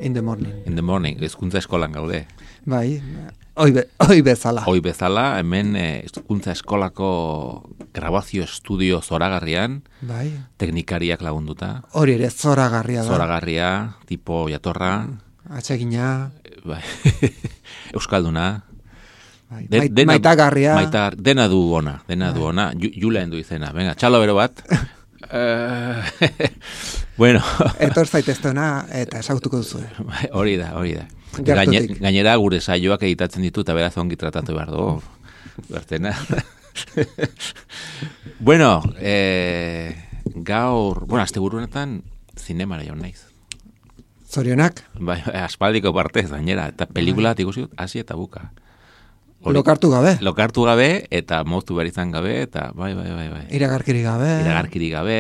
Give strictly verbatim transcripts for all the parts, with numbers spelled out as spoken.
In the morning. In the morning, hezkuntza eskolan gaude. Bai, oi, be, oi bezala. Oi bezala, hemen hezkuntza eskolako grabazio estudio zoragarrian, bai. Teknikariak lagunduta. Hori ere zoragarria da. Zoragarria, tipo jatorra. Atsegina. Bai. Euskalduna. Bai. De, Mait, dena, maitagarria. Maitar, dena du ona, dena bai. du ona. Julen du izena. Venga, txalo bero bat. Uh, bueno. Etor zaiteztena eta esautuko duzu. Hori da, hori da. Gaine, gainera gure saioak editatzen ditu eta beraz ongi tratatu behar du. Bertena. Bueno, eh, gaur, bueno, azte burunetan zinemara jaun naiz. Zorionak? Bai, aspaldiko partez, gainera. Eta pelikula bat ikusi dut, hasi eta buka. Hori, lokartu gabe. Lokartu gabe, eta moztu behar izan gabe, eta bai, bai, bai, bai. Iragarkiri gabe. Iragarkiri gabe.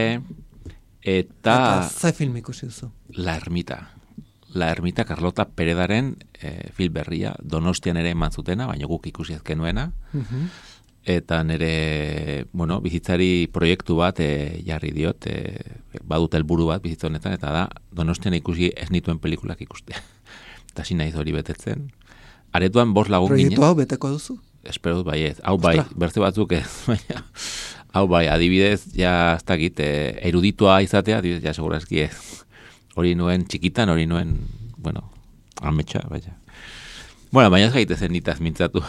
Eta... Eta ze film ikusi duzu? La Ermita. La Ermita Carlota Peredaren eh, film berria, Donostian ere eman zutena, baina guk ikusi ezkenuena. Uh-huh. Eta nire, bueno, bizitzari proiektu bat eh, jarri diot, eh, badut helburu bat bizitza honetan, eta da, Donostian ikusi ez nituen pelikulak ikustea. Eta hasi naiz hori betetzen. Aretuan bost lagun ginen. Proiektu hau beteko duzu? Espero dut bai ez. Hau bai, berze batzuk ez. Hau bai, adibidez, ja ez dakit, eh, eruditua izatea, adibidez, ja segurazki ez. Hori nuen txikitan, hori nuen, bueno, ametsa, baina. Bueno, baina ez gaitezen nitaz mintzatu.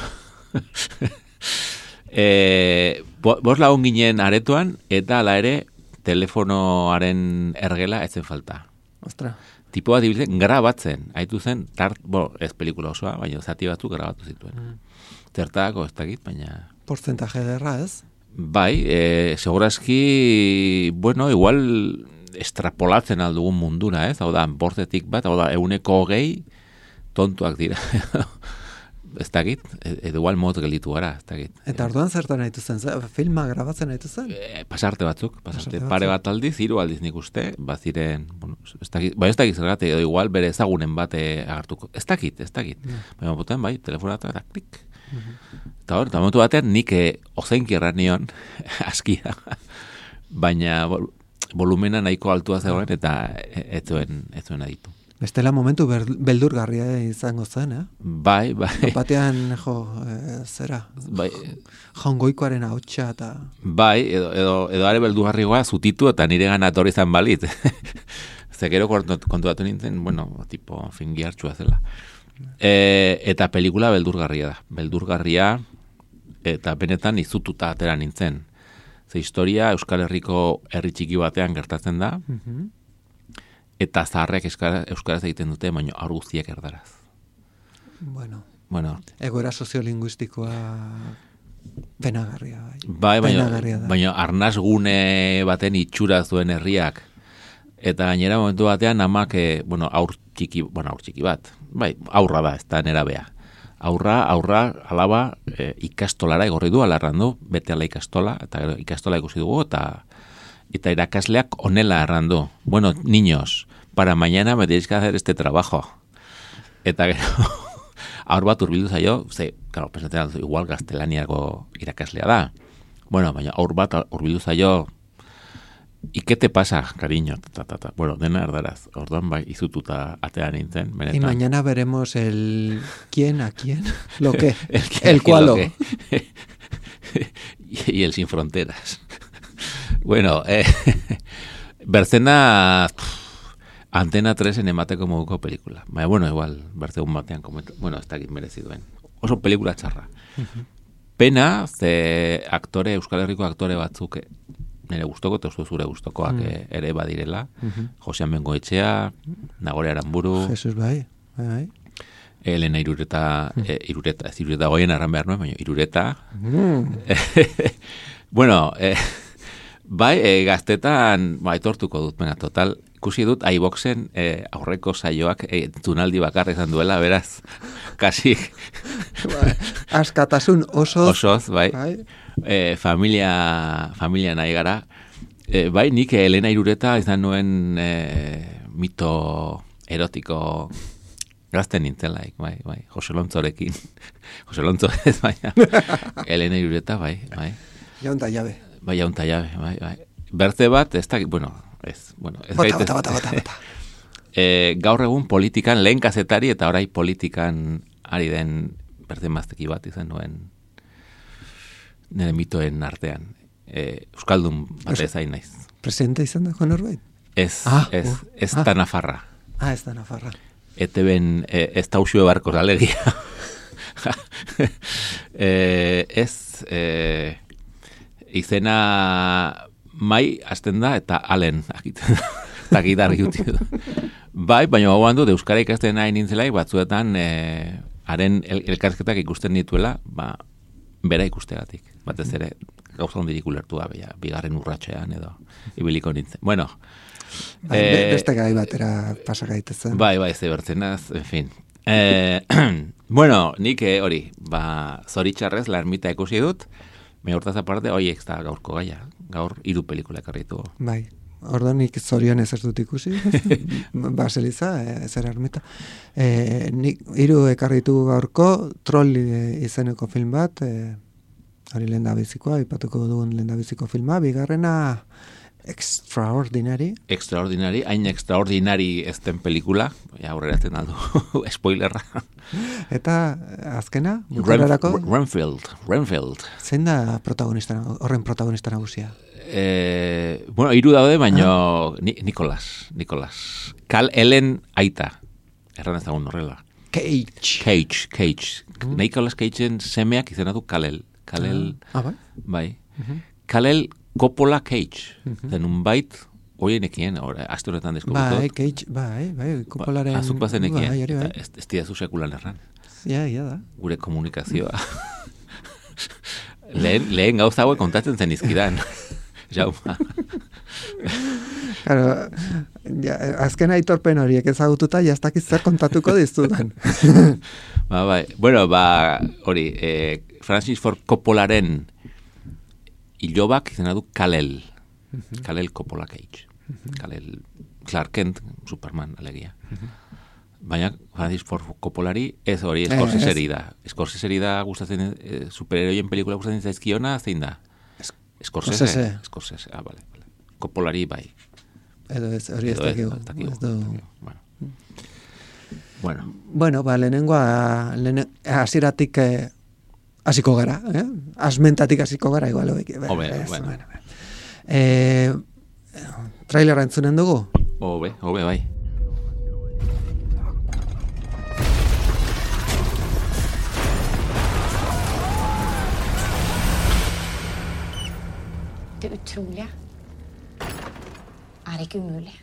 eh, bost lagun ginen aretuan, eta ala ere, telefonoaren ergela etzen falta. Ostra. Tipo bat dibiltzen, grabatzen, haitu zen, tart, bo, ez pelikula osoa, baina zati batzuk grabatu zituen. Mm. Zertako ez dakit, baina... Porcentaje derra, ez? Bai, e, segurazki, bueno, igual estrapolatzen aldugun mundura, ez? Hau da, bortetik bat, hau da, euneko hogei tontuak dira. Ez dakit, edo igual mot gelitu gara, ez dakit. Eta orduan zertan nahitu zen, filma grabatzen nahitu zen? E, pasarte batzuk, pasarte, pasarte pare bat aldiz, hiru aldiz nik uste, baziren, bueno, ez dakit, bai ez dakit zergatik, edo igual bere ezagunen bate agartuko, ez dakit, ez dakit. Yeah. Baina boten, bai, telefonatu eta klik. Uh-huh. Eta hor, eta momentu batean nik eh, ozenki erran nion, askia, baina vol, volumena nahiko altua zegoen eta ez zuen, ez zuen aditu. Bestela momentu ber, beldurgarria izango zen, eh? Bai, bai. Batean, jo, e, zera, bai. Jaungoikoaren hautsa eta... Bai, edo, edo, edo are beldurgarrigoa zutitu eta nire gana atorri zan balit. Zekero kontuatu nintzen, bueno, tipo, fingi hartxua zela. E, eta pelikula beldurgarria da. Beldurgarria eta benetan izututa atera nintzen. Ze historia Euskal Herriko herri txiki batean gertatzen da, uh-huh. Eta zaharrek euskaraz egiten dute, baina aur guztiak erdaraz. Bueno, bueno. Egoera soziolinguistikoa penagarria. Bai, baina, baina arnaz gune baten itxura zuen herriak. Eta gainera momentu batean amak, eh, bueno, aur txiki, bueno, aur txiki bat. Bai, aurra da, ez da nera bea. Aurra, aurra, alaba, eh, ikastolara egorri du, alarran du, bete ala ikastola, eta ikastola ikusi dugu, eta eta irakasleak onela errandu. Bueno, niños, para mañana me tenéis que hacer este trabajo. Eta gero, aur bat urbildu zaio, ze, claro, pensatzen, igual gaztelaniako irakaslea da. Bueno, baina aur bat urbildu zaio, ¿y qué te pasa, cariño? Ta, ta, ta. Bueno, dena erdaraz. Orduan bai, izututa atean nintzen. Benetan. Y mañana veremos el quién a quién, lo que, el, el cualo. y, y el sin fronteras. Bueno, eh, Bercena Antena tres en emateko moduko pelikula. Baina, bueno, igual, berzegun batean komentu. Bueno, ez dakit merezi duen. Oso pelikula txarra. Uh-huh. Pena, ze aktore, Euskal Herriko aktore batzuk nire gustoko, eta uste zure gustokoak uh-huh. ere badirela. Uh-huh. Josean Bengoetxea, Nagore Aramburu. Jesus bai, bai, bai. Elena Irureta, uh-huh. eh, Irureta, ez Irureta goien arran behar nuen, baina Irureta. Uh-huh. Bueno, eh, bai, e, gaztetan, ba, etortuko dut, venga, total, ikusi dut iVoxen eh, aurreko saioak eh, tunaldi bakarra izan duela, beraz, kasi... Bai, askatasun osoz. Osoz, bai. bai. Eh, familia, familia nahi gara. Eh, bai, nik Elena Irureta izan nuen eh, mito erotiko gazten nintzelaik, bai, bai. Jose Lontzorekin. Jose Lontzo ez, baina. Elena Irureta, bai, bai. Jaunta jabe. Bai, jaunta jabe, bai, bai. Berte bat, ez da, bueno, ez, bueno, ez bota, gaitez, bota, bota, bota, bota. E, gaur egun politikan, lehen kazetari eta orai politikan ari den berde mazteki bat izan nuen nire mitoen artean. E, Euskaldun bat ez hain naiz. Presidente izan da, Norbait? Ez, ah, ez, uh, ez ah. da Nafarra. Ah, ez da Nafarra. Ete ben, e, ez da usue barko alegia. e, ez, e, izena mai hasten da eta alen akiten da. Eta gitar juti da. Bai, baina hau handu, euskara ikasten nahi nintzelaik, batzuetan e, haren el, elkarsketak ikusten dituela, ba, bera ikustegatik. Batez ere, gauza hondirik ulertu da, beha, bigarren urratxean edo, ibiliko nintzen. Bueno. Bai, e, beste gai batera pasagaitezen. Bai, bai, zebertzenaz, en fin. E, bueno, nik hori, ba, zoritxarrez, la ermita ikusi dut, me hortaz aparte, oiek da gaurko gaia, gaur hiru pelikula ekarritu. Bai. Ordo nik zorion ez ez dut ikusi, Baseliza, ez era ermita. E, nik hiru ekarritu gaurko, Troll izeneko film bat, e, hori lehen da bizikoa, ipatuko dugun lehen da biziko filma, bigarrena Extraordinary. Extraordinary, hain extraordinary ez den pelikula, aurreratzen aldu, spoilerra. Eta azkena, bukararako? Renfield, Renfield. Zein da protagonista, horren protagonista nagusia? Eh, bueno, hiru daude, baina ah. Ni, Nicolas, Nicolas. Cal Ellen aita. Erran ezagun horrela. Cage. Cage, Cage. Mm. Nicolas Cageen semeak izena du Kalel. Kalel. Ah, bai. Bai. Uh-huh. Kalel Coppola Cage. Uh-huh. Zenun bait, oien ekien, aste honetan deskubritot. Bai, Cage, bai, bai, Coppolaren... Ba, azuk bazen ekien. Bai, bai. Ez, ez diazu sekulan erran. Ja, ja da. Gure komunikazioa. lehen, lehen gauza hauek kontatzen zen izkidan. Jauma. Claro, ja, azken aitorpen horiek ezagututa, jaztakiz zer kontatuko dizudan. ba, bai. Bueno, ba, hori, eh, Francis Ford Coppolaren ilobak izena du Kal-El. Uh-huh. Kal-El Coppola Cage. Uh-huh. Kal-El Clark Kent, Superman, alegia. Uh-huh. Baina Francis Ford Coppolari ez hori Scorseseri da. Scorseseri da gustatzen, eh, superheroien pelikula gustatzen zaizkiona, zein da? Scorsese. Scorsese, ah, vale, vale. Coppolari bai. Edo ez, hori ez dakigu. Bueno. Bueno. Bueno, ba, lehenengoa, lehenen, hasieratik eh, hasiko gara, eh? Asmentatik hasiko gara, igual, hoik. Obe, bueno. Eh, trailera entzunen dugu? Obe, obe, bai. Det utrolige er ikke umulig.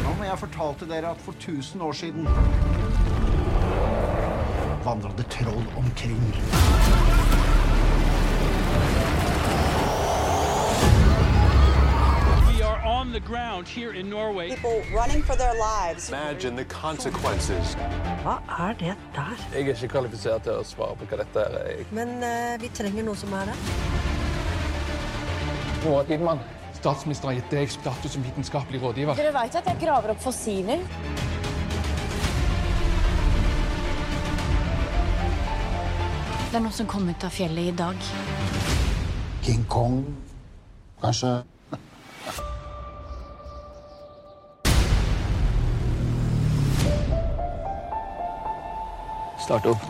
Ja, men jeg fortalte dere at for tusen år siden vandret troll omkring. On the ground here in Norway. People running for their lives. Imagine the consequences. Hva er det der? Jeg er ikke kvalifisert til å svare på hva dette er. Men uh, vi trenger noe som er det. Roar Idmann, statsminister har gitt deg status som vitenskapelig rådgiver. Dere vet at jeg graver opp fossiler? Det er noe som kom ut av fjellet i dag. King Kong, kanskje? Start opp.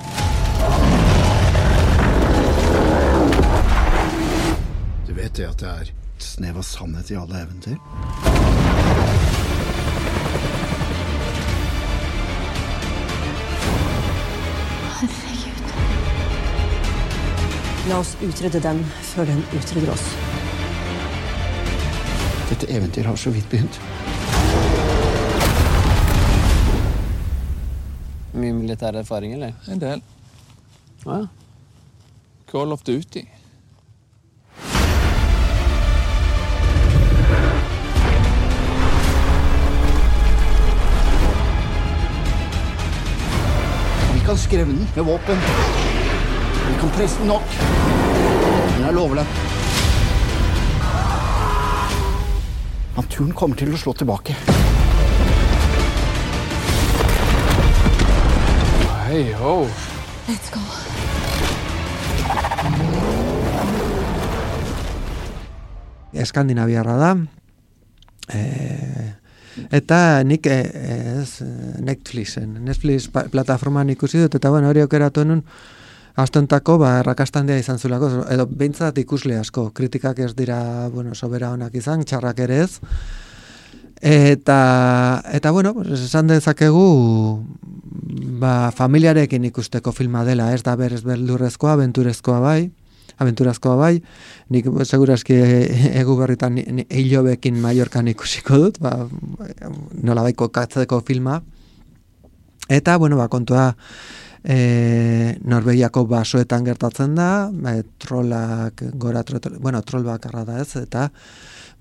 Du vet det at det er et snev av sannhet i alle eventyr? Herregud. La oss utrydde den før den utrydder oss. Dette eventyr har så vidt begynt. Mye militær erfaring, eller? En del. Ja, Call of Duty. Vi kan skremme den med våpen. Vi kan presse den nok. Den er lovlig. Naturen kommer til å slå tilbake. Hey, ho. Let's go. Eskandinaviarra da. E, eta nik e, ez, Netflixen, Netflix plataforman ikusi dut, eta bueno, hori aukeratu nun, astontako, ba, errakastandia izan zulako, edo behintzat ikusle asko, kritikak ez dira, bueno, sobera honak izan, txarrak ere ez, eta, eta bueno, pues, esan dezakegu, ba, familiarekin ikusteko filma dela, ez da berez beldurrezkoa, abenturezkoa bai, abenturazkoa bai, nik segurazki egu berritan hilobekin Mallorcan ikusiko dut, ba, nola baiko katzeko filma, eta, bueno, ba, kontua, e, Norvegiako basoetan gertatzen da, ba, trolak, gora, tro, bueno, trol bakarra da ez, eta,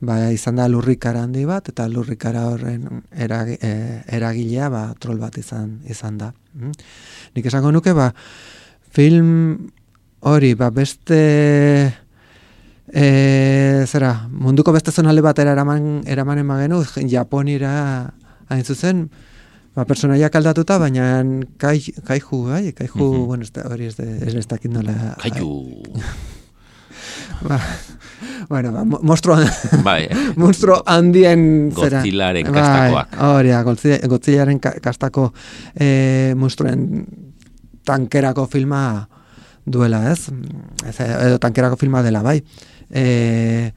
ba, izan da lurrikara handi bat, eta lurrikara horren erag, e, eragilea, ba, trol bat izan, izan da. Mm? Nik esango nuke, ba, film hori, ba, beste e, zera, munduko beste zonalde batera eraman, eraman emagenu, Japonira hain zuzen, ba, personaiak aldatuta, baina kai, kaiju, bai, kaiju, mm-hmm. bueno, ez da, hori ez, de, ez, ez dakit nola. Kaiju. ba, bueno, ba, monstruo, bai, monstruo handien zera. Godzillaren kastakoak. Bai, hori, Godzillaren kastako e, monstruen tankerako filma duela, ez? ez? Edo tankerako filma dela, bai. E,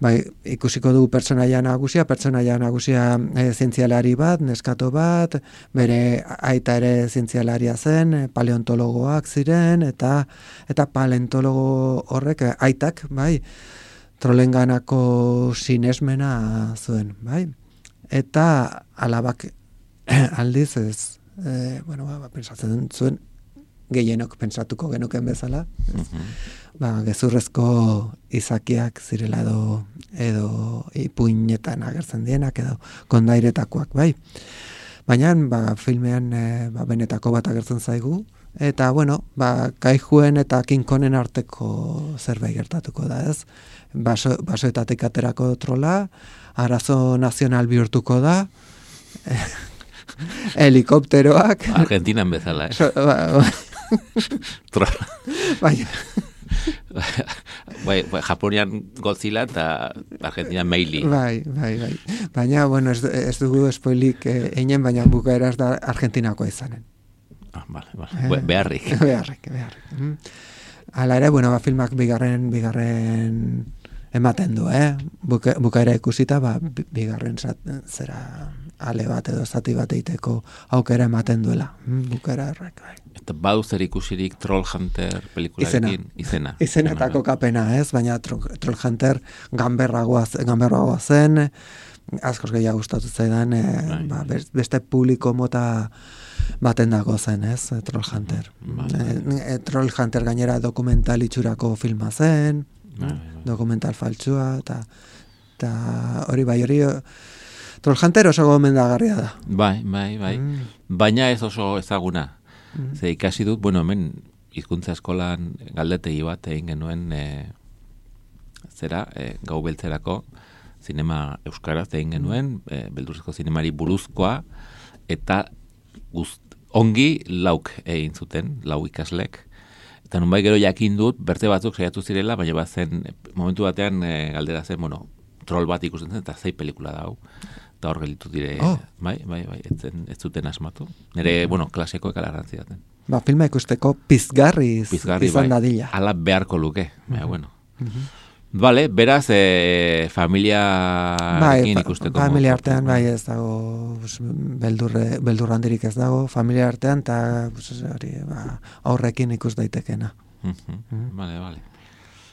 bai, ikusiko du pertsonaia nagusia, pertsonaia nagusia e, zientzialari bat, neskato bat, bere aita ere zientzialaria zen, paleontologoak ziren, eta eta paleontologo horrek, aitak, bai, trolenganako sinesmena zuen, bai. Eta alabak aldiz ez, e, bueno, ba, pensatzen zuen, gehienok pentsatuko genuken bezala, uh-huh. ba, gezurrezko izakiak zirela edo, edo ipuinetan agertzen dienak edo kondairetakoak, bai. Baina, ba, filmean e, ba, benetako bat agertzen zaigu, eta, bueno, ba, kaijuen eta kinkonen arteko zerbait gertatuko da, ez? Baso, basoetatik aterako trola, arazo nazional bihurtuko da, helikopteroak. Argentinan bezala, eh? So, ba, ba, bai, bai, Japonian Godzilla eta Argentinan Meili. Bai, bai, bai. Baina, bueno, ez, ez dugu spoilik eh, einen, baina bukaeraz da Argentinakoa izanen. Ah, vale, vale. Eh, beharrik. Beharrik, beharrik. Mm. Hala ere, bueno, ba, filmak bigarren, bigarren ematen du, eh? Buka, bukaera ikusita, ba, bigarren zat, zera ale bat edo zati bat eiteko aukera ematen duela. Bukaera errek, bai. Eta badu zer ikusirik Trollhunter pelikularekin? Izena. Izenetako kapena, ez? Baina Trollhunter gamberragoa, gamberragoa zen, askoz gehiago gustatu zaidan, e, ba, beste publiko mota baten dago zen, ez? Trollhunter. E, Trollhunter gainera dokumental itxurako filma zen, dokumental faltsua, eta hori bai, hori Trollhunter oso gomendagarria da. Bai, bai, bai. Mm. Baina ez oso ezaguna. Mm. Ze ikasi dut, bueno, hemen hizkuntza eskolan galdetegi bat egin genuen e, zera, e, gau beltzerako zinema euskaraz egin genuen, e, beldurrezko zinemari buruzkoa, eta gust, ongi lauk egin zuten, lau ikaslek. Eta nunbai gero jakin dut, berte batzuk saiatu zirela, baina bat zen, momentu batean e, galdera zen, bueno, troll bat ikusten zen, eta zei pelikula da hau. Eta hor gelditu dire, oh. bai, bai, bai, ez, zen, ez zuten asmatu. Nire, bueno, klasekoek alarrantzi daten. Ba, filma ikusteko pizgarri, pizgarri izan bai. dadila. Ala beharko luke, uh-huh. Baina, bueno. Uh-huh. Vale, beraz, e, familia bai, ikusteko. Familia artean, bai, ez dago, beldurre, beldurrandirik ez dago, familia artean, eta hori, ba, aurrekin ikus daitekena. Uh-huh. Uh-huh. Vale, vale.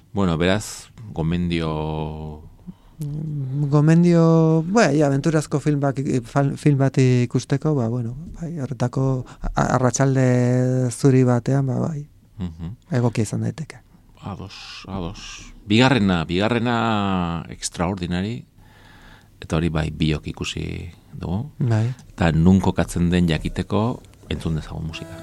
Bueno, beraz, gomendio... Gomendio, bai, aventurazko film bat, film bat ikusteko, ba, bueno, bai, horretako arratsalde zuri batean, ba, bai, uh-huh. Egokia izan daiteke. ados, ados. Bigarrena, bigarrena extraordinari, eta hori bai biok ikusi dugu. Bai. Eta nun kokatzen den jakiteko entzun dezagun musika.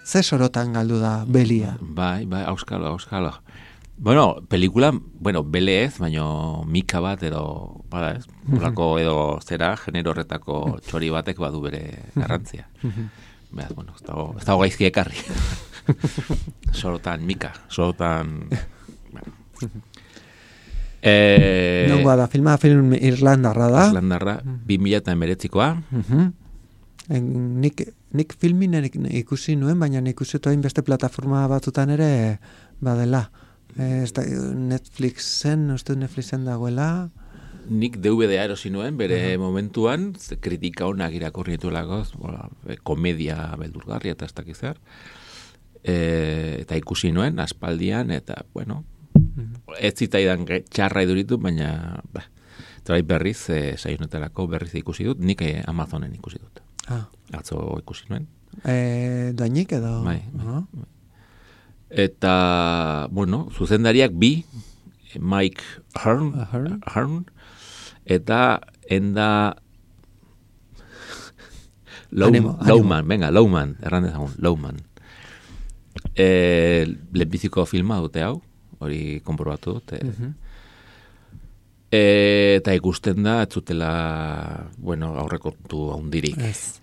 Ze sorotan galdu da belia? Bai, bai, auskalo, auskalo. Bueno, pelikula, bueno, bele ez, baino mika bat edo, bada ez, polako edo zera, genero horretako txori batek badu bere garrantzia. Beraz, bueno, ez dago, ez dago gaizki ekarri. Sorotan mika, sorotan... Bueno. Eh, Nongoa da, filma film Irlandarra da. Irlandarra, bi mila eta emeretzikoa. Nik, nik filmin ikusi nuen, baina ikusi toain beste plataforma batzutan ere badela. E, da, Netflixen, uste Netflixen dagoela. Nik D V D erosi nuen, bere uh-huh. momentuan, kritika honak irakurri dituelako, komedia beldurgarria eta ez dakizar. E, eta ikusi nuen, aspaldian, eta, bueno, uh-huh. ez zitaidan txarra iduritu, baina, ba, eta berriz, e, saionetarako berriz ikusi dut, nik e, Amazonen ikusi dut. Ah. Atzo ikusi nuen. E, doainik edo? Bai, bai, uh-huh. Eta, bueno, zuzendariak bi, Mike Hearn, Hearn? Hearn eta enda Low, animo, Lowman, animo. venga, Lowman, erran dezagun, Lowman. E, lehenbiziko filma dute hau, hori konprobatu dute. Uh-huh. E, eta ikusten da, ez zutela, bueno, aurrekontu handirik. Ez.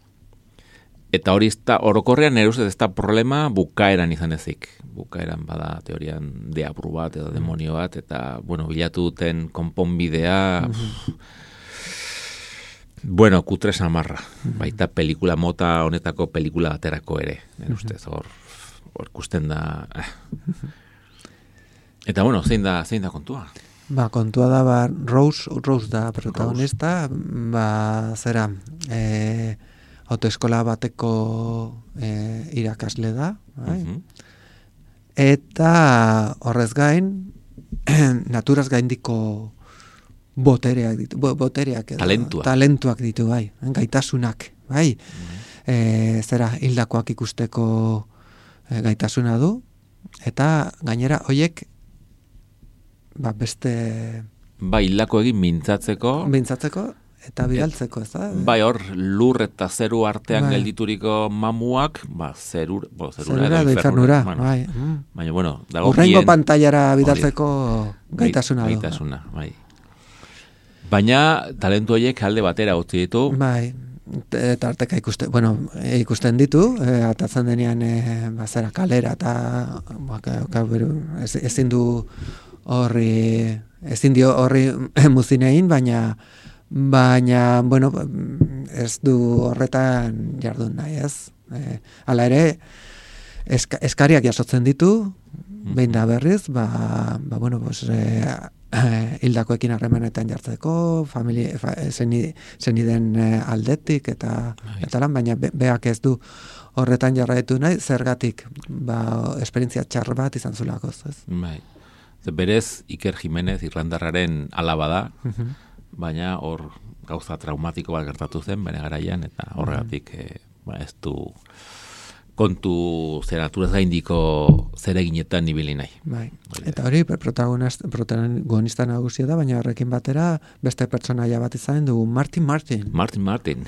Eta hori ezta, orokorrean nire ustez ez da problema bukaeran izan ezik. Bukaeran bada teorian deabru bat edo demonio bat, eta, bueno, bilatu duten konponbidea, mm-hmm. bueno, kutre samarra. Mm-hmm. Baita pelikula mota honetako pelikula baterako ere, nire ustez, hor, hor ikusten da. Eh. Eta, bueno, zein da, zein da kontua? Ba, kontua da, ba, Rose, Rose da protagonista, Rose. Ba, zera, eh, autoeskola bateko e, irakasle da, bai? Uh-huh. Eta horrez gain, naturaz gaindiko botereak ditu, bo, botereak edo, talentuak. talentuak ditu, bai, gaitasunak, bai? Uh-huh. E, zera, hildakoak ikusteko e, gaitasuna du, eta gainera, hoiek, ba, beste... Ba, hildako egin mintzatzeko... Mintzatzeko, eta bidaltzeko, ez da? Bai, hor, lur eta zeru artean bai. geldituriko mamuak, ba, zerur, bo, zerura, zerura edo infernura. Bueno, bai. Mm. Baina, bueno, dago urrengo bien, pantailara bidaltzeko gaitasuna du. Gaitasuna, bai. Baina, talentu horiek alde batera utzi ditu. Bai, eta arteka ikusten, bueno, ikusten ditu, e, atatzen denean, e, bazera kalera, eta ba, ka, ka, beru, ez, ezin du horri, ezin dio horri muzinein, baina baina, bueno, ez du horretan jardun nahi, ez? E, hala ere, eska, eskariak jasotzen ditu, behin da berriz, ba, ba bueno, pues, e, hildakoekin harremanetan jartzeko, familia, fa, zeniden e, aldetik, eta, eta lan, baina be, beak ez du horretan jarraitu nahi, zergatik, ba, esperientzia txar bat izan zulakoz, ez? Bai. berez Iker Jimenez Irlandarraren alaba da, baina hor gauza traumatiko bat gertatu zen bere garaian, eta horregatik eh, ba, ez du kontu zer naturaz gaindiko zereginetan ibili nahi. Bai. Eta hori protagonista nagusia da, baina horrekin batera beste pertsonaia bat izan dugu, Martin Martin. Martin Martin.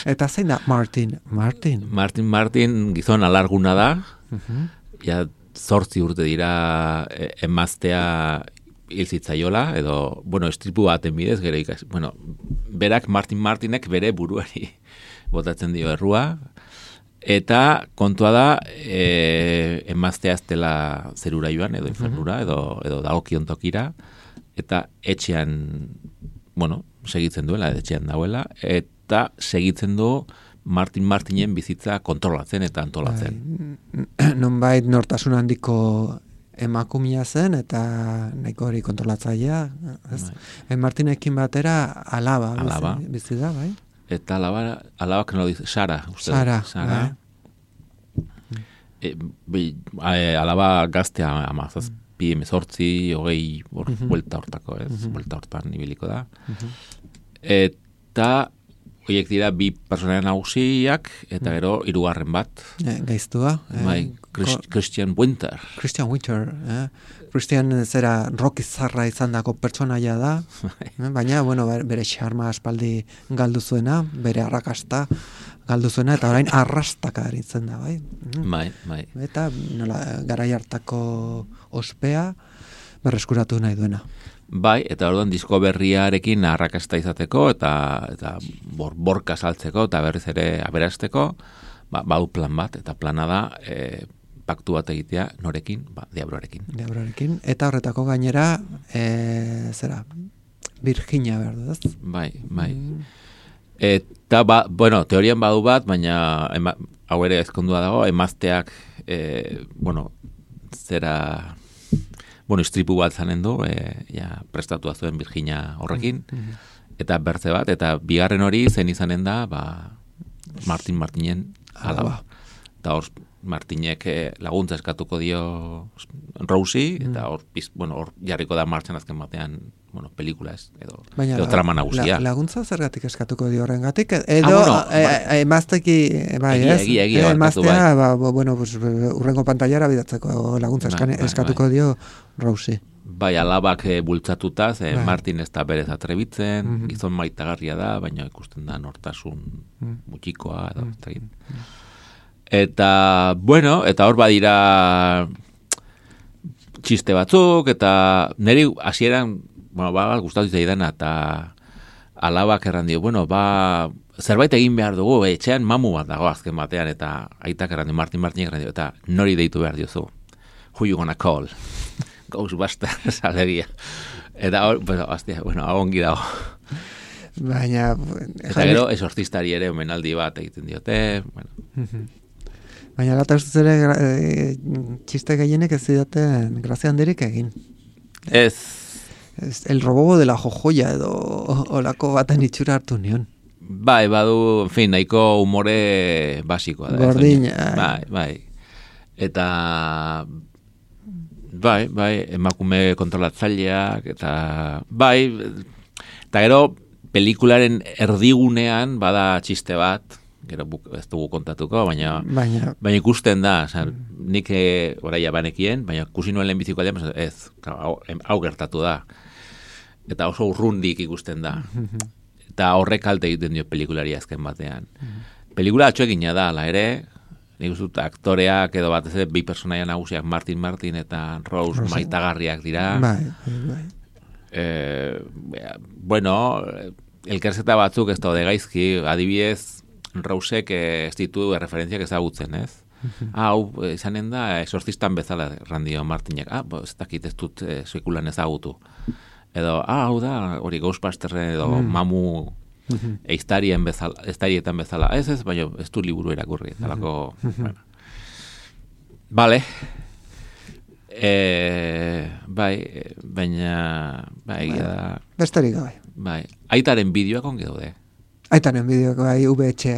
Eta zein da Martin Martin? Martin Martin gizon alarguna da, uh-huh. ja zortzi urte dira e, emaztea hil zitzaiola, edo, bueno, estripu baten bidez, gero ikas, bueno, berak Martin Martinek bere buruari botatzen dio errua, eta kontua da e, emaztea ez dela zerura joan, edo infernura, edo, edo dagokion tokira, eta etxean, bueno, segitzen duela, etxean dauela, eta segitzen du Martin Martinen bizitza kontrolatzen eta antolatzen. Bai, nonbait nortasun handiko emakumia zen, eta nahiko hori kontrolatzailea. Bai. Martinekin batera alaba, alaba. Bizi, bizi da, bai? Eta alaba, alaba que no dice, Sara. Usted, Sara, Sara. Bai. E, bi, e, alaba gaztea amazaz, mm. pi emezortzi, hogei, hor, uh-huh. buelta hortako, ez? Uh-huh. Buelta hortan ibiliko da. Uh-huh. Eta horiek dira bi personaia nagusiak, eta gero hirugarren bat. E, gaiztua. Bai, Christ, Christian Winter. Christian Winter. Eh? Christian zera rock izarra izan dako pertsonaia da, eh? Baina, bueno, bere xarma aspaldi galdu zuena, bere arrakasta galdu zuena, eta orain arrastaka aritzen da, bai? Bai, bai. Eta nola, garai hartako ospea berreskuratu nahi duena. Bai, eta orduan disko berriarekin arrakasta izateko eta eta bor, borka saltzeko eta berriz ere aberasteko, ba, badu plan bat, eta plana da e, paktu bat egitea norekin, ba, Diabloarekin. Diabloarekin, eta horretako gainera, e, zera, Virginia behar du, ez? Bai, bai. Mm. Eta, ba, bueno, teorian badu bat, baina ema, hau ere ezkondua dago, emazteak, e, bueno, zera... Bueno, istripu bat zanen du, e, ja, prestatua zuen Virginia horrekin, mm-hmm. eta bertze bat, eta bigarren hori zen izanen da, ba, Martin Martinen alaba. Eta hor, Martinek laguntza eskatuko dio Rosie, mm. eta hor, bueno, hor jarriko da martxan azken batean, bueno, pelikula ez, edo, baina, edo trama nagusia. La, laguntza zergatik eskatuko dio horrengatik, edo ah, bueno, emazteki, e, bai, ez? Egia, egia, egia, emaztea, bai. ba, bueno, pues, urrengo pantailara bidatzeko laguntza bai, eskane, bai, eskatuko bai. Dio Rosie. Bai, alabak e, bultzatuta, ze bai. Martin ez da berez atrebitzen, mm-hmm. gizon maitagarria da, baina ikusten da nortasun mm. mutxikoa, edo, mm. mm. Eta, bueno, eta hor badira txiste batzuk, eta niri hasieran, bueno, ba, gustatu zaidana, eta alabak erran dio, bueno, ba, zerbait egin behar dugu, etxean mamu bat dago azken batean, eta aitak erran dio, Martin Martin erran dio, eta nori deitu behar diozu. Who you gonna call? Ghostbusters, alegia. Eta hor, bueno, aztia, bueno, ongi dago. Baina... Eta gero, esortistari ere omenaldi bat egiten diote, bueno... Baina lata ustez ere e, txiste gehienek ez zidaten grazia handirik egin. Ez. Ez, el robo de la jojoia edo olako baten itxura hartu nion. Bai, badu, en fin, nahiko humore basikoa da. Gordina. Bai, bai. Eta... Bai, bai, emakume kontrolatzaileak, eta... Bai, eta gero, pelikularen erdigunean bada txiste bat, gero ez dugu kontatuko, baina, baina, baina ikusten da, oza, nik oraia banekien, baina ikusi nuen lehenbiziko aldean, ez, hau, hau gertatu da. Eta oso urrundik ikusten da. Eta horrek kalte egiten dio pelikulari azken batean. Pelikula atxoegina da, ala ere, nik uzut aktoreak edo bat ez bi personaia nagusiak Martin Martin eta Rose, Rose. Maitagarriak dira. Bai, bai. Eh, bueno, elkerzeta batzuk ez daude gaizki, adibidez, Rousek ez ditu referentziak ezagutzen, ez? Hau, ah, izanen da, esortzistan bezala randio Martinek. Ah, bo, ez dakit ez dut eh, sekulan ezagutu. Edo, ah, hau da, hori Ghostbusterren edo mm. mamu mm-hmm. eiztarien bezala, eiztarietan bezala. Ez ez, baina ez du liburu erakurri. Talako, mm-hmm. bueno. Vale. E, bai, baina, bai, egia da. Besterik gabe. Bai, aitaren bideoak onge daude. Aitaren bideoak bai, V H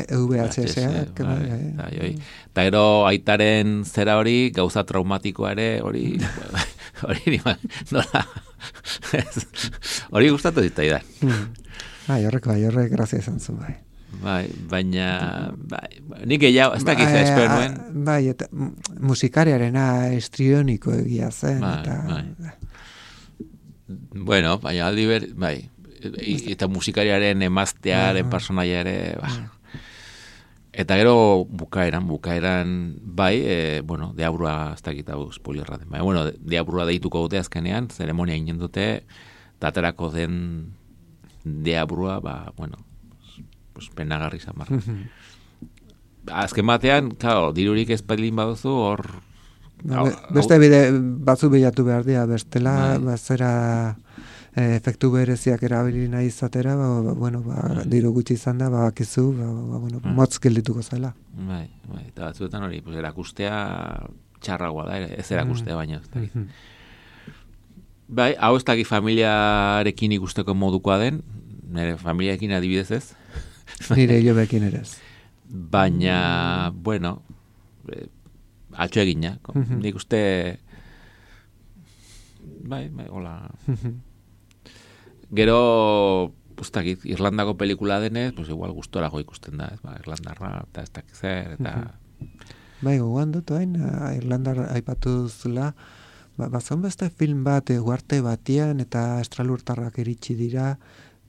S. Eta gero aitaren zera hori, gauza traumatikoa ere, hori, hori nola, hori gustatu zitzaidan. Bai, horrek, bai, horrek grazia izan zuen, bai. Bai, baina, bai, nik gehiago, ez dakit ba, espero nuen. Bai, eta musikariarena estrioniko egia zen, bai, eta... Bai. Bueno, baina aldi ber, bai, eta musikariaren emaztearen personaia ere, ba. Eta gero bukaeran, bukaeran, bai, e, bueno, deabrua, ez dakit hau spoilerra den, bai, bueno, deabrua deituko dute azkenean, zeremonia inen dute, daterako den deabrua, ba, bueno, pues penagarri izan barra. Azken batean, claro, dirurik ez badilin baduzu, hor... Ba, beste bide batzu bilatu behar dira, bestela, bazera efektu bereziak erabili nahi izatera, ba, ba, bueno, ba, diru gutxi izan da, ba, bakizu, ba, ba, bueno, motz geldituko zela. Bai, bai, eta batzuetan hori, pues, erakustea txarragoa da, ez erakustea baina. Bai, hau ez dakit familiarekin ikusteko modukoa den, nire familiarekin adibidez ez, nire jo bekin ere ez. Baina, bueno, eh, atxo egina. Mm-hmm. Nik uste, bai, bai, hola. Gero, ustakit, Irlandako pelikula denez, pues igual gustorako ikusten da, ez, ba, Irlandarra, eta ez dakit zer, eta... Mm-hmm. Bai, gogoan dut, hain, Irlandar aipatu zula, ba, bazan beste film bat, uarte batian, eta estralurtarrak iritsi dira,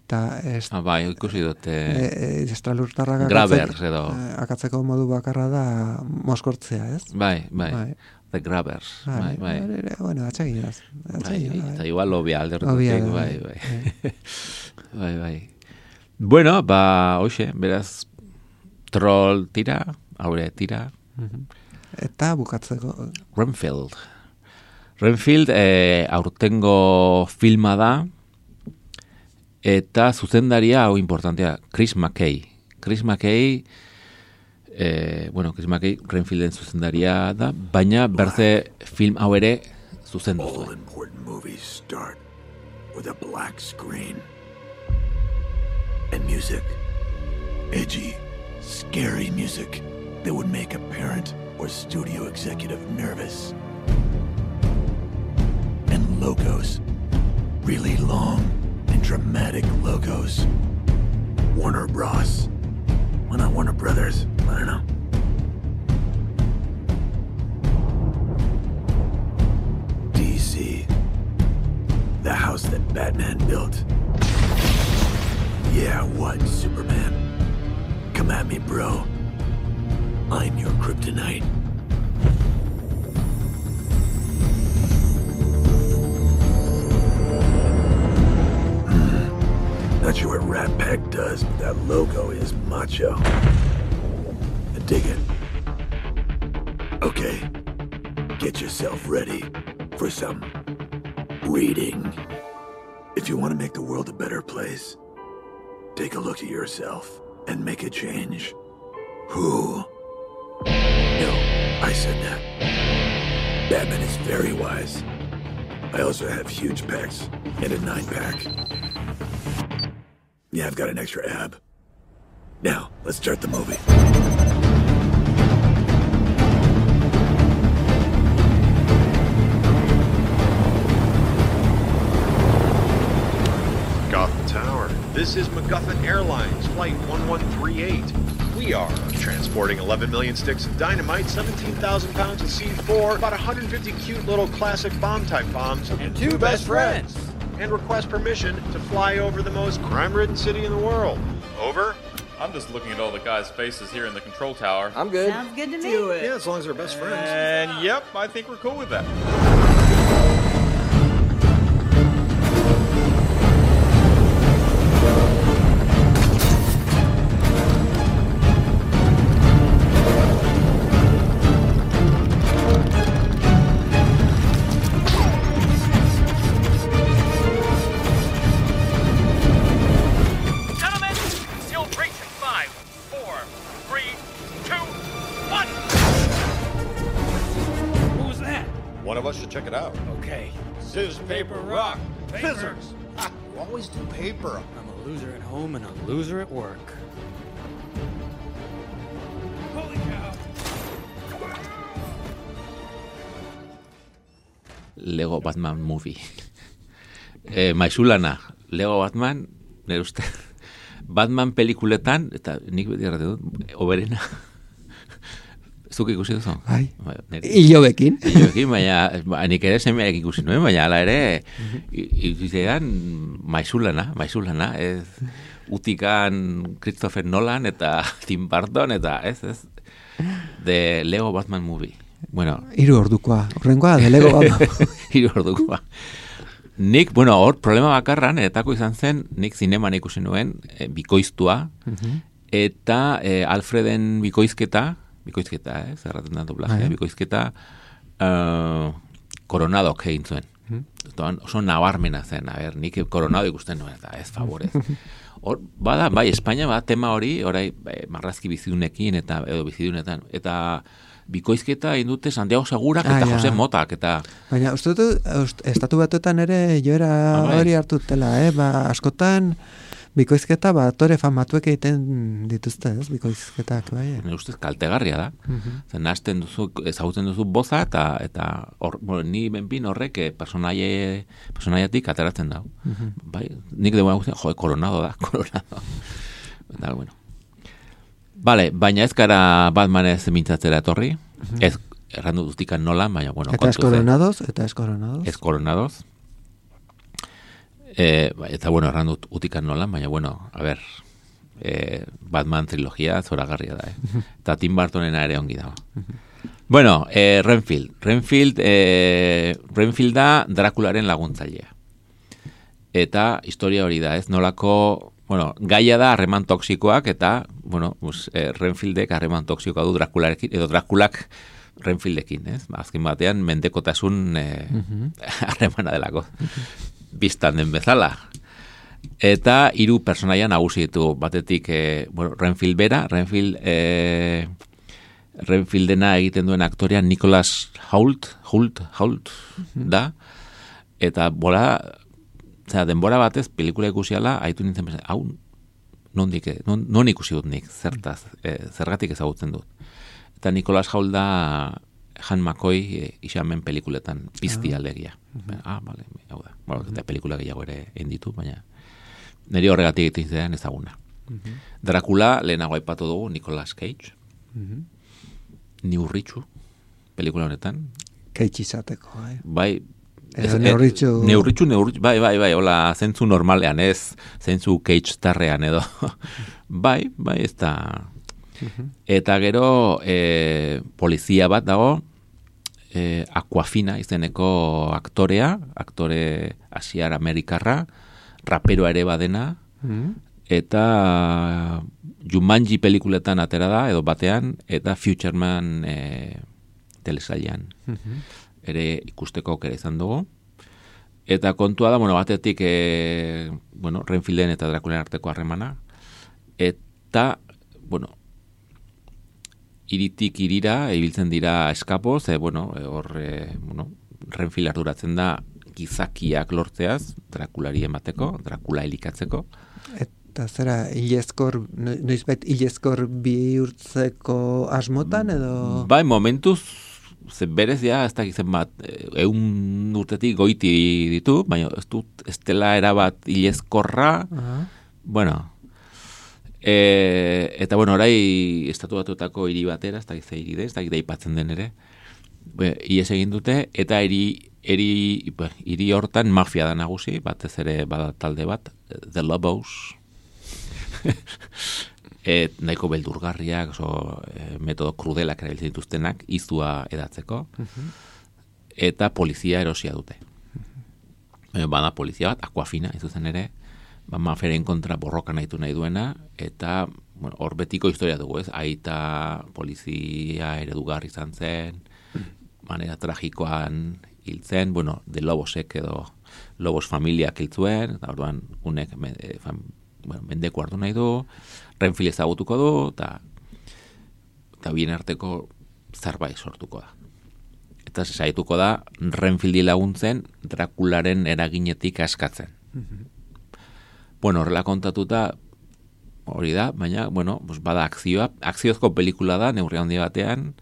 eta est... ah, bai, ikusi dute... E, e, estralurtarrak Grabbers, edo... akatzeko modu bakarra da moskortzea, ez? Bai, bai, bai. The Grabbers, bai, bai. bai. Bueno, atxeginaz. Bai, eta igual lobia alderdutek, bai, bai. Bai, bai. Bueno, ba, hoxe, beraz, troll tira, haure tira. Eta bukatzeko... Renfield. Renfield, eh, aurtengo filma da, eta zuzendaria hau importantea, Chris McKay. Chris McKay, eh, bueno, Chris McKay Renfielden zuzendaria da, baina berze film hau ere zuzendu zuen. All important movies start with a black screen and music. Edgy, scary music that would make a parent or studio executive nervous. And logos, really long and dramatic logos. Warner Bros. Why not Warner Brothers? I don't know. D C. The house that Batman built. Yeah, what, Superman? Come at me, bro. I'm your kryptonite. Not sure what Rat Pack does, but that logo is macho. I dig it. Okay, get yourself ready for some reading. If you want to make the world a better place, take a look at yourself and make a change. Who? No, I said that. Batman is very wise. I also have huge pecs and a nine-pack. Yeah, I've got an extra ab. Now, let's start the movie. Gotham Tower. This is MacGuffin Airlines, Flight one one three eight. We are transporting eleven million sticks of dynamite, seventeen thousand pounds of C four, about one hundred fifty cute little classic bomb-type bombs, and two best friends. And request permission to fly over the most crime-ridden city in the world. Over? I'm just looking at all the guys' faces here in the control tower. I'm good. Sounds good to me. Do it. Yeah, as long as they're best friends. And yep, I think we're cool with that. Check it out. Okay. Scissors, paper, rock. Scissors. Ah, you always do paper. I'm a loser at home and a loser at work. Holy cow. Lego Batman movie. E, Maizulana, Lego Batman, nire uste, Batman pelikuletan, eta nik beti errate dut, oberena. Zuk ikusi duzu? Bai. Ilobekin. Ilobekin, baina nik ere semeak ikusi nuen, baina ala ere ikusizean Maizulana, Maizulana, ez utikan Christopher Nolan eta Tim Burton, eta ez, ez, de Lego Batman movie. Bueno, hiru ordukoa, horrengoa, de Lego Batman. Hiru ordukoa. Nik, bueno, hor problema bakarran, etako izan zen, nik zineman ikusi nuen, e, bikoiztua, uh-huh. eta e, Alfreden bikoizketa, bikoizketa, eh, zerraten da doblajea, uh-huh. bikoizketa, uh, Coronadok egin zuen. Uh-huh. Oso nabarmena zen, a ber, nik Coronado ikusten nuen, eta ez favorez. Hor, bada, bai, Espainia, bada, tema hori, orai, bai, marrazki bizidunekin, eta, edo bizidunetan, eta bikoizketa indute Santiago Segurak eta ah, Jose Motak, eta... Baina, uste dut, estatu batuetan ere joera ah, hori hartutela, eh? Ba, askotan, bikoizketa, ba, tore famatuek egiten dituzte, ez, bikoizketak, bai? Ne ustez, kaltegarria da. Uh-huh. Zen, nazten duzu, ezagutzen duzu boza, eta, eta or, bueno, ni benpin horrek personaie, personaiatik ateratzen da. Uh-huh. Bai, nik dugu guztien, jo, Coronado da, Coronado. Eta, bueno. Vale, baina ez gara Batman ez mintzatzera etorri, uh-huh. ez errandu duztikan nolan, baina, bueno, eta ez Coronados, eta ez Coronados. Ez Coronados. Eh, eta, bueno, errandu utikan nolan, baina, bueno, a ver, eh, Batman trilogia zoragarria da, eh? Uh-huh. Eta Tim Burtonena ere ongi dago. Uh-huh. Bueno, eh, Renfield. Renfield, eh, Renfield da Drakularen laguntzailea. Eta historia hori da, ez? Nolako... Bueno, gaia da harreman toksikoak eta, bueno, pues, eh, Renfieldek harreman toksikoa du Drakularekin, edo Drakulak Renfieldekin, ez? Azken batean, mendekotasun harremana uh-huh. delako. Uh-huh. Biztan den bezala. Eta hiru personaia nagusi ditu batetik, eh, bueno, Renfield bera, Renfield, eh, Renfieldena egiten duen aktorea Nicholas Hoult, Hoult, Hoult, uh-huh. da, eta bola... Zera, denbora batez, pelikula ikusiala, haitu nintzen bezala, hau, nondik, non, non ikusi dut nik, zertaz, e, zergatik ezagutzen dut. Eta Nicholas Hoult da Han McCoy e, isamen pelikuletan, pizti ah. alegia. Uh-huh. Ah, bale, hau da. Bueno, uh-huh. eta pelikula gehiago ere egin ditu, baina niri horregatik egiten zean ezaguna. Uh-huh. Dracula, lehenago aipatu dugu, Nicolas Cage. Uh-huh. Neurritxu, pelikula honetan. Cage izateko, bai. Bai, Edo neurritxu... Neurritxu, neurritxu, bai, bai, bai, hola, zentzu normalean, ez, zentzu Cage tarrean, edo. bai, bai, ez da. Uh-huh. Eta gero, e, polizia bat dago, e, Aquafina izeneko aktorea, aktore asiar amerikarra, raperoa ere badena, uh-huh. eta Jumanji pelikuletan atera da, edo batean, eta Futureman e, telesailean. Uh-huh. ere ikusteko aukera izan dugu. Eta kontua da, bueno, batetik, e, bueno, Renfielden eta Drakulen arteko harremana. Eta, bueno, iritik irira, ibiltzen dira eskapo, ze, bueno, hor, e, bueno, Renfield arduratzen da gizakiak lortzeaz, Drakulari emateko, Drakula elikatzeko. Eta zera, hilezkor, noizbait hilezkor bihurtzeko asmotan, edo? Bai, momentuz, ze berez ja, ez dakitzen bat, eun urtetik goiti ditu, baina ez dut, ez dela erabat hilezkorra, uh-huh. bueno, e, eta bueno, orai estatu batuetako hiri batera, ez dakitzen hiri de, ez dakitzen aipatzen den ere, ies egin dute, eta hiri, hiri, hiri hortan mafia da nagusi, batez ere bada talde bat, The Lobos, Et, nahiko beldurgarriak, oso, e, metodo krudelak erabiltzen dituztenak, izua edatzeko, uh-huh. eta polizia erosia dute. Uh-huh. Bada polizia bat, Aquafina, izuzen ere, ba, maferen kontra borroka nahitu nahi duena, eta bueno, hor betiko historia dugu, ez? Aita polizia eredugarri izan zen, uh-huh. manera tragikoan hil zen, bueno, de Lobosek edo Lobos familiak hil zuen, eta orduan unek e, fam, bueno, mendeko hartu nahi du, Renfield ezagutuko du, eta eta bien arteko zerbait sortuko da. Eta saituko da Renfieldi laguntzen Drakularen eraginetik askatzen. Uh-huh. Bueno, horrela kontatuta hori da, baina, bueno, pues bada akzioa, akziozko pelikula da, neurri handi batean,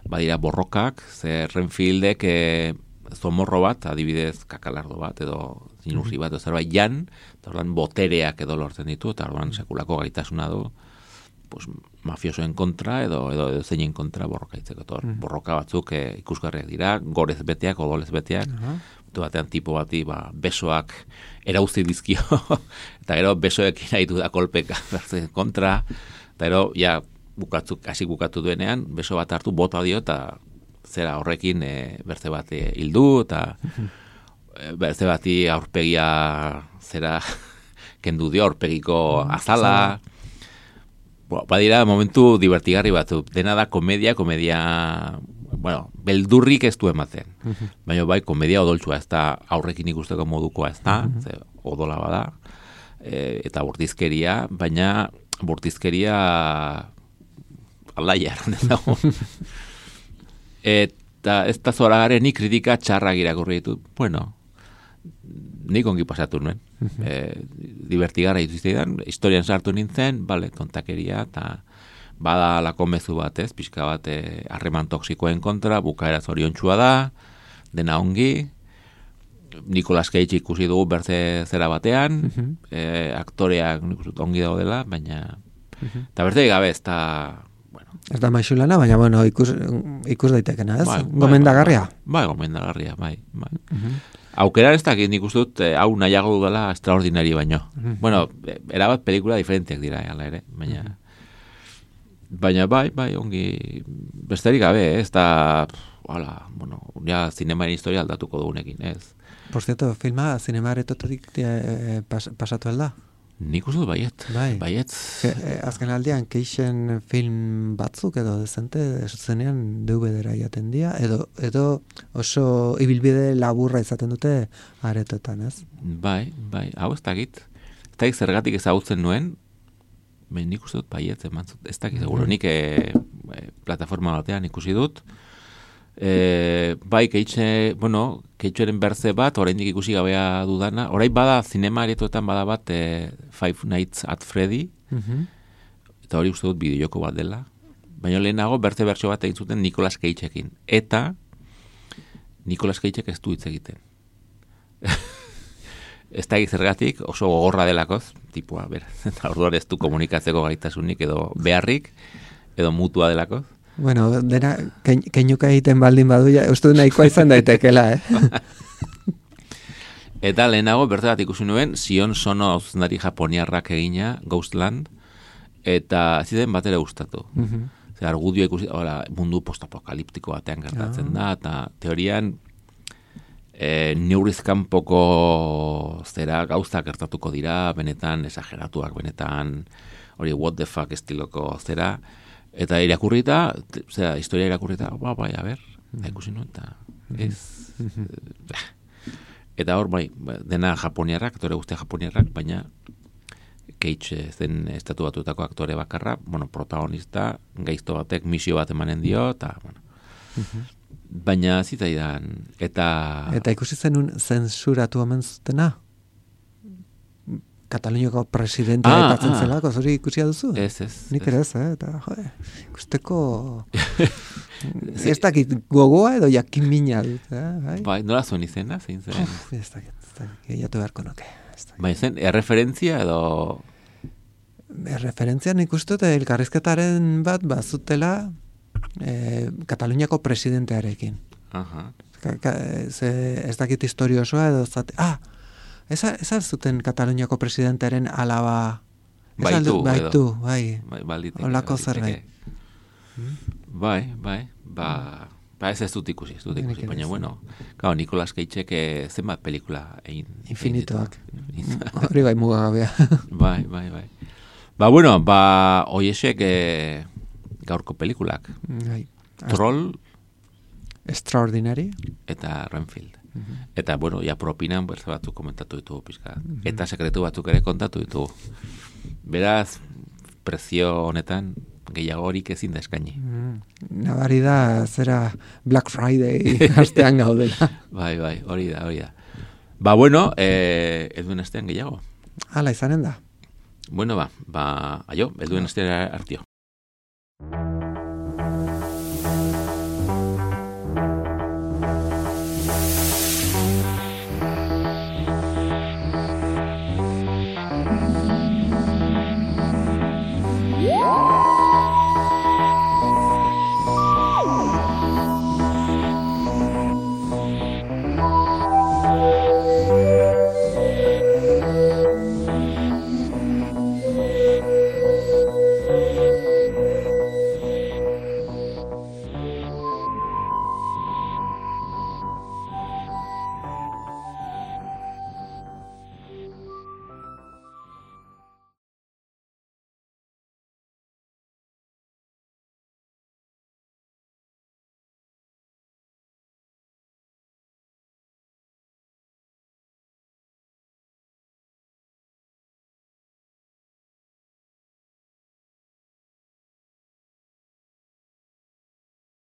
badira borrokak, ze Renfieldek e, zomorro bat, adibidez kakalardo bat, edo zinurri bat, edo zerbait jan, eta orduan botereak edo lortzen ditu, eta orduan sekulako gaitasuna du, pues, mafiosoen kontra, edo, edo, edo zeinen kontra borroka itzeko. Mm. Borroka batzuk eh, ikusgarriak dira, gorez beteak, odolez beteak, uh-huh. batean tipo bati, ba, besoak erauzi dizkio, eta gero besoekin nahitu da kolpeka kontra, eta gero, ja, bukatzuk, hasi bukatu duenean, beso bat hartu, bota dio, eta zera horrekin e, berze bat e, hildu, eta e, berze bati aurpegia zera kendu dio, aurpegiko azala. Bo, badira momentu divertigarri batzu. Dena da komedia, komedia, bueno, beldurrik ez du ematen. Baina bai, komedia odoltsua, ez da aurrekin ikusteko modukoa, ez da, ze, odola bada, e, eta bortizkeria, baina bortizkeria alaia eran ez dago. Eta ez da zoragaren ni kritika txarrak irakurri ditut. Bueno, nik ongi pasatu nuen. Uh-huh. E, divertigarra dituztean, historian sartu nintzen, bale, tontakeria, eta bada lako mezu bat ez, pixka bat harreman toksikoen kontra, bukaera zoriontsua da, dena ongi, Nicolas Cage ikusi dugu berze zera batean, uh-huh. e, aktoreak ongi daudela, baina, eta uh-huh. berze gabe ez da, ez da maixulana, baina bueno, ikus, ikus daitekena, ez? Bai, gomendagarria. Bai, bai, gomendagarria, bai. bai. Uh-huh. Aukera ez dakit nik uste dut, hau eh, nahiago dudala extraordinari baino. Uh-huh. Bueno, erabat pelikula diferentiak dira, ala ere, baina... Uh-huh. Baina bai, bai, ongi... Besterik gabe, ez da... Hala, bueno, ja zinemaren historia aldatuko dugunekin, ez? Por cierto, filma zinemaretotik eh, pas, pasatu alda? Nik uste dut baiet, bai. baiet. E, azken aldean, keixen film batzuk edo dezente, zenean D V D-ra jaten dira, edo, edo oso ibilbide laburra izaten dute aretotan, ez? Bai, bai, hau ez dakit. Ez dakit zergatik ezagutzen nuen, ben nik uste dut baiet, ez dakit, seguro, nik e, e, plataforma batean ikusi dut, E, bai, keitxe, bueno, keitxeren berze bat, oraindik ikusi gabea dudana, orain bada zinema aretoetan bada bat e, Five Nights at Freddy, uh-huh. eta hori uste dut bideojoko bat dela, baina lehenago berze bertso bat egin zuten Nicolas Cageekin, eta Nicolas Cageek ez du hitz egiten. Ez da zergatik, oso gogorra delakoz, tipua, ber, eta orduan ez du komunikatzeko gaitasunik edo beharrik, edo mutua delakoz. Bueno, dena, keinuka egiten baldin badu, ja, uste du nahikoa izan daitekela, eh? Eta lehenago, bertze bat ikusi nuen, Sion Sono zuzendari japoniarrak egina, Ghostland, eta ziden batera gustatu. Uh-huh. Zer, argudio ikusi, ora, mundu postapokaliptiko batean gertatzen uh-huh. da, eta teorian, e, neurizkanpoko zera gauza gertatuko dira, benetan esageratuak, benetan, hori what the fuck estiloko zera, eta irakurrita, zera, historia irakurrita, ba, bai, a ber, da ikusi nuen, eta ez... Eta hor, bai, dena japoniarrak, aktore guztia japoniarrak, baina Cage zen estatu batutako aktore bakarra, bueno, protagonista, gaizto batek misio bat emanen dio, eta, bueno... Baina zitzaidan, eta... Eta ikusi zenun zensuratu omen zutena? Kataluniako presidentea ah, aipatzen ah. zelako, zuri ikusia duzu? Ez, ez. Nik ere ez, eh? Eta, jode, ikusteko... ez dakit gogoa edo jakin mina dut, eh? Bai, bai nola zuen izena, zein zen? Uf, ez dakit, ez dakit, gehiatu beharko nuke. Bai, zen, erreferentzia edo... Erreferentzia nik uste dut elkarrizketaren bat bazutela eh, Kataluniako presidentearekin. Aha. Ka, ka, ze, ez dakit historio osoa edo zate... Ah! Ez zuten Kataluniako presidentearen alaba... Baitu, baitu, bai. Balditeke. Olako zerbait. Bai, bai. Ba, ba ez ez dut ikusi, ez dut ikusi. Baina, bueno, claro, Nicolas Cageek zenbat pelikula egin. Infinitoak. Hori bai mugagabea. Bai, bai, bai. Ba, bueno, ba, oiesek eh, gaurko pelikulak. Bai. Troll. Extraordinary. Eta Renfield. Uh-huh. Eta, bueno, ja propinan berze batzuk komentatu ditugu pizka. Uh-huh. Eta sekretu batzuk ere kontatu ditugu. Beraz, prezio honetan gehiagorik ezin da eskaini. Uh-huh. Nabari da, zera Black Friday astean gaudela. Bai, bai, hori da, hori da. Ba, bueno, eh, eduen astean gehiago. Hala izanen da. Bueno, ba, ba, aio, eduen astean artio.